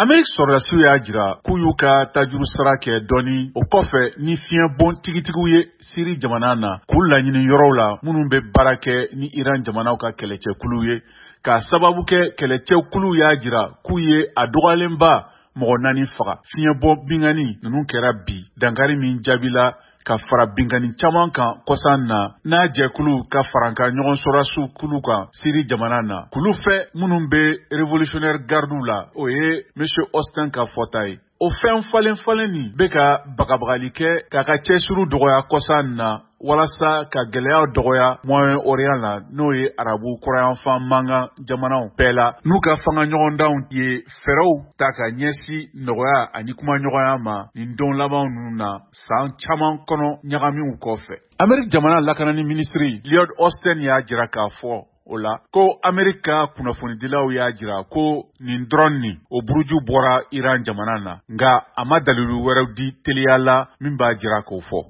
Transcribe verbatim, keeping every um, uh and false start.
Ameriki sɔrɔdasiw y'a jira k'u y'u ka tajuru sara kɛ dɔɔni o kɔfɛ ni fiɲɛbon tigitigiw ye Siri jamana na, k'u laɲini yɔrɔw la minnu bɛ baara kɛ ni Iran jamanaw ka kɛlɛcɛkuluw ye, k'a sababu kɛ kɛlɛcɛkuluw y'a jira k'u ye a dɔgɔyalenba mɔgɔ naani faga. Fiɲɛbɔ binkanni ninnu kɛra bi dankari min jaabila ka fara binkanni caman kan kɔsan na n'a jɛkulu ka farankan ɲɔgɔn sɔrɔdasiw kulu kan Siri jamana na, kulu fɛ minnu bɛ Révolutionnaire Gardew la, o ye Monsieur Austin ka fɔta ye. O fɛn falen falen nin bɛ ka bagabagali kɛ k'a ka cɛsiriw dɔgɔya kɔsan na walasa ka gɛlɛyaw dɔgɔya Moyen-Orient la, n'o ye arabu kɔrɔyanfan mankan jamanaw bɛɛ la, n'u ka fanga ɲɔgɔndanw ye fɛɛrɛw ta ka ɲɛsin nɔgɔya ani kumaɲɔgɔnya ma nin don labanw ninnu na, san caman kɔnɔ ɲagamiw kɔfɛ. Ameriki jamana lakanani minisiri Lloyd Austin y'a jira k'a fɔ o la ko Ameriki ka kunnafonidilaw y'a jira ko nin dɔrɔn nin o buruju bɔra Iran jamana na, nka a ma dalilu wɛrɛw di teliya la min b'a jira k'o fɔ.